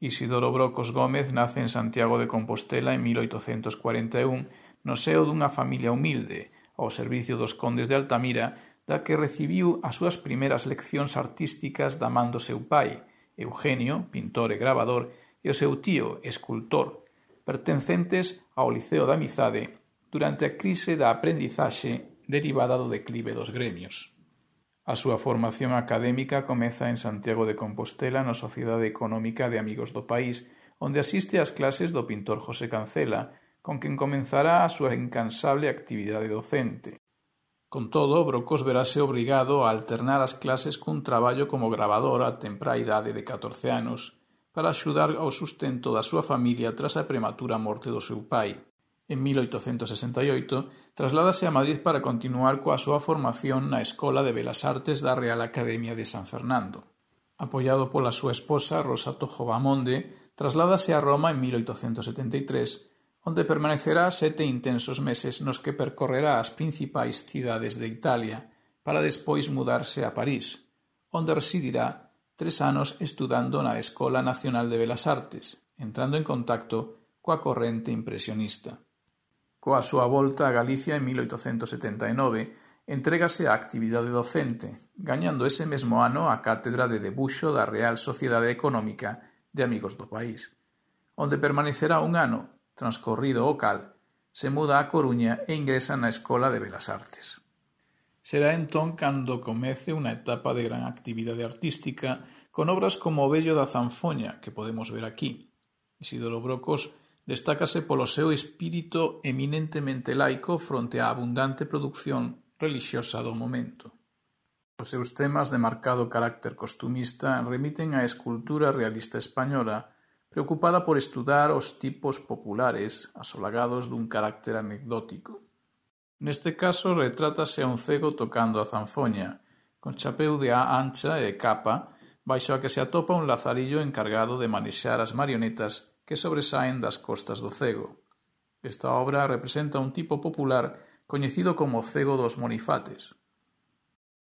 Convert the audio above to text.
Isidoro Brocos Gómez nace en Santiago de Compostela en 1841 no seo dunha familia humilde, ao servicio dos condes de Altamira, da que recibiu as súas primeiras leccións artísticas da man do seu pai, Eugenio, pintor e gravador, e o seu tío, escultor, pertencentes ao Liceo da Amizade durante a crise da aprendizaxe derivada do declive dos gremios. A súa formación académica comeza en Santiago de Compostela na Sociedade Económica de Amigos do País, onde asiste ás clases do pintor José Cancela, con quen comenzará a súa incansable actividade docente. Con todo, Brocos verase obrigado a alternar as clases cun traballo como gravador a temprá idade de 14 anos, para axudar ao sustento da súa familia tras a prematura morte do seu pai. En 1868 trasládase a Madrid para continuar coa súa formación na Escola de Belas Artes da Real Academia de San Fernando. Apoiado pola súa esposa, Rosa Tojo Bamonde, trasládase a Roma en 1873, onde permanecerá 7 intensos meses nos que percorrerá as principais cidades de Italia, para despois mudarse a París, onde residirá 3 anos estudando na Escola Nacional de Belas Artes, entrando en contacto coa corrente impresionista. Coa súa volta a Galicia en 1879, entrégase á actividade docente, gañando ese mesmo ano a cátedra de debuxo da Real Sociedade Económica de Amigos do País, onde permanecerá un ano. Transcorrido o cal, se muda a Coruña e ingresa na Escola de Belas Artes. Será entón cando comece unha etapa de gran actividade artística con obras como O vello da zanfoña, que podemos ver aquí. Isidoro Brocos destácase polo seu espírito eminentemente laico fronte á abundante produción relixiosa do momento. Os seus temas de marcado carácter costumista remiten á escultura realista española, preocupada por estudar os tipos populares asolagados dun carácter anecdótico. Neste caso retrátase a un cego tocando a zanfoña, con chapeu de á ancha e capa, baixo a que se atopa un lazarillo encargado de manexar as marionetas que sobresaen das costas do cego. Esta obra representa un tipo popular coñecido como cego dos monifates.